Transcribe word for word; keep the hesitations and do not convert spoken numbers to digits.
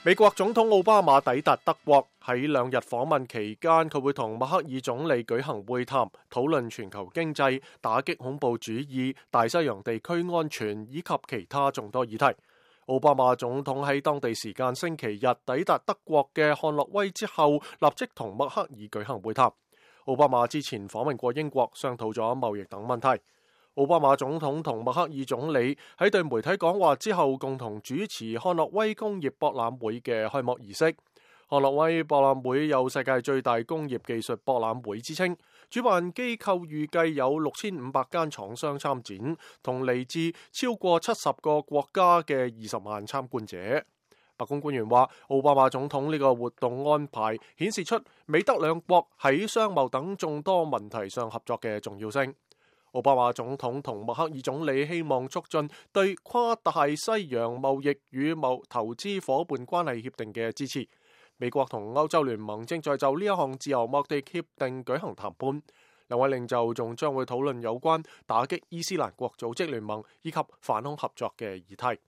美國總統奧巴馬抵達德國，喺兩日訪問期間，佢會同默克爾總理舉行會談，討論全球經濟、打擊恐怖主義、大西洋地區安全以及其他眾多議題。奧巴馬總統喺當地時間星期日抵達德國嘅漢諾威之後，立即同默克爾舉行會談。奧巴馬之前訪問過英國，商討咗貿易等問題。奧巴馬總統同默克爾總理喺對媒體講話之後，共同主持漢諾威工業博覽會嘅開幕儀式。漢諾威博覽會有世界最大工業技術博覽會之稱，主辦機構預計有六千五百間廠商參展，同嚟自超過七十個國家嘅二十萬參觀者。白宮官員話，奧巴馬總統呢個活動安排顯示出美德兩國喺商貿等眾多問題上合作嘅重要性。奧巴馬總統同默克爾總理希望促進對跨大西洋貿易與貿投資夥伴關係協定嘅支持。美國同歐洲聯盟正在就呢一項自由貿易協定舉行談判。兩位領袖仲將會討論有關打擊伊斯蘭國組織聯盟以及反恐合作嘅議題。